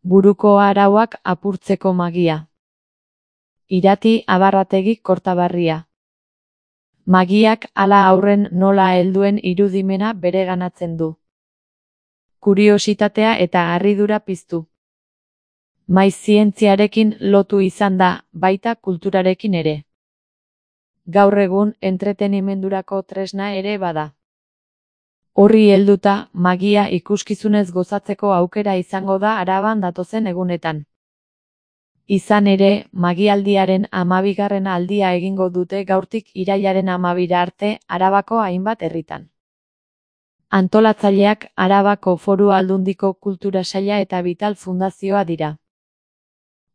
Buruko arauak apurtzeko magia. Irati Abarrategi Kortaberria. Magiak hala aurren nola helduen irudimena bereganatzen du. Kuriositatea eta harridura piztu. Maiz zientziarekin lotu izan da, baita kulturarekin ere. Gaur egun entretenimendurako tresna ere bada. Horri helduta, magia ikuskizunez gozatzeko aukera izango da Araban datozen egunetan. Izan ere, magialdiaren 12. aldia egingo dute gaurtik irailaren 12 arte Arabako hainbat herritan. Antolatzaileak Arabako Foru Aldundiko Kultura Saila eta Vital Fundazioa dira.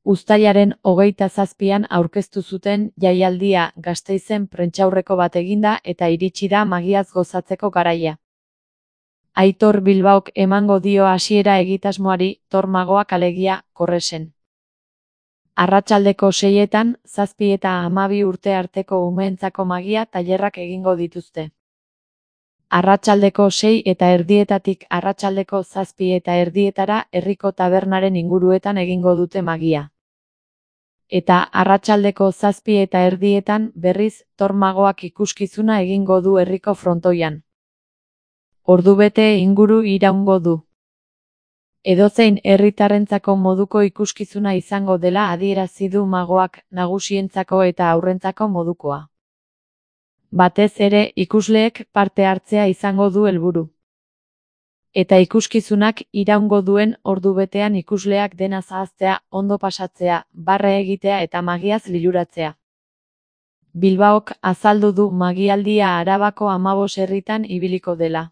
Uztailaren 27an aurkeztu zuten jaialdia Gasteizen prentsaurreko bat eginda eta iritsi da magiaz gozatzeko garaia. Aitor Bilbaok emango dio hasiera egitasmoari, Tormagoak alegia, Korresen. Arratsaldeko 6etan, 7 eta 12 urte arteko umeentzako magia tailerrak egingo dituzte. Arratsaldeko 6 eta erdietatik arratsaldeko 7 eta erdietara herriko tabernaren inguruetan egingo dute magia. Eta arratsaldeko 7 eta erdietan berriz Tormagoak ikuskizuna egingo du herriko frontoian. Ordubete inguru iraungo du. Edozein herritarrentzako moduko ikuskizuna izango dela adierazi du magoak, nagusientzako eta haurrentzako modukoa. Batez ere ikusleek parte hartzea izango du helburu. Eta ikuskizunak iraungo duen ordubetean ikusleak dena zahaztea, ondo pasatzea, barre egitea eta magiaz liluratzea. Bilbaok azaldu du magialdia Arabako 15 herritan ibiliko dela.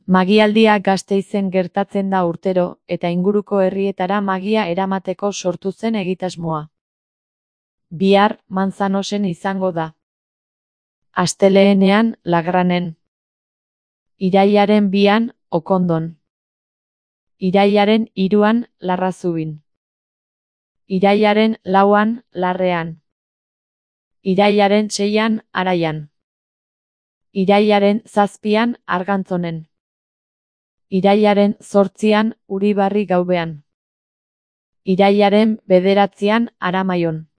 Magialdia Gasteizen gertatzen da urtero, eta inguruko herrietara magia eramateko sortu zen egitasmoa. Bihar, Manzanosen izango da. Astelehenean, Lagranen. Irailaren 2an, Okondon. Irailaren 3an, Larrazubin. Irailaren 4an, Larrean. Irailaren 6an, Araian. Irailaren 7an, Argantzonen. Irailaren 8an, Uribarri Gaubean. Irailaren 9an, Aramaion.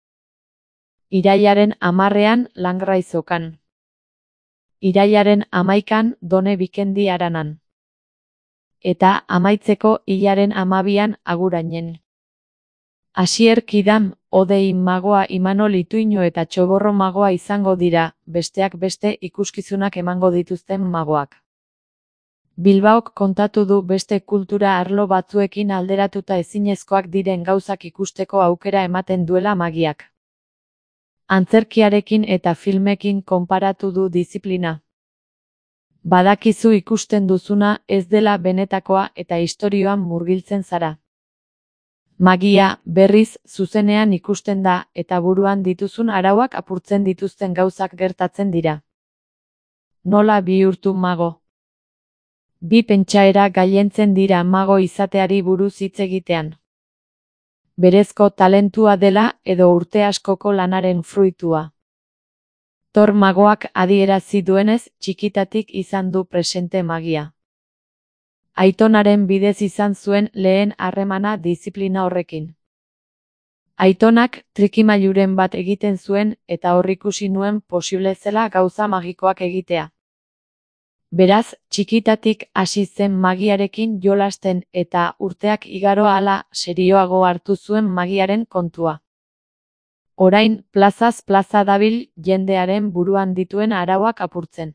Irailaren 10an, Langraizokan. Irailaren 11an, Done Bikendi Aranan. Eta amaitzeko hilaren 12an, Agurainen. Asier Kidam, Odei magoa Imanol Ituino eta Txoborro magoa izango dira, besteak beste ikuskizunak emango dituzten magoak. Bilbaok kontatu du beste kultura arlo batzuekin alderatuta ezinezkoak diren gauzak ikusteko aukera ematen duela magiak. Antzerkiarekin eta filmekin konparatu du diziplina. Badakizu ikusten duzuna ez dela benetakoa eta istorioan murgiltzen zara. Magia, berriz, zuzenean ikusten da eta buruan dituzun arauak apurtzen dituzten gauzak gertatzen dira. Nola bihurtu mago? Bi pentsaera gailentzen dira mago izateari buruz hitz egitean. Berezko talentua dela edo urte askoko lanaren fruitua. Tormagoak adierazi duenez, txikitatik izan du presente magia. Aitonaren bidez izan zuen lehen harremana diziplina horrekin. Aitonak trikimailuren bat egiten zuen eta hor ikusi nuen posible zela gauza magikoak egitea. Beraz, txikitatik hasi zen magiarekin jolasten eta urteak igaro ahala serioago hartu zuen magiaren kontua. Orain, plazaz plaza dabil jendearen buruan dituen arauak apurtzen.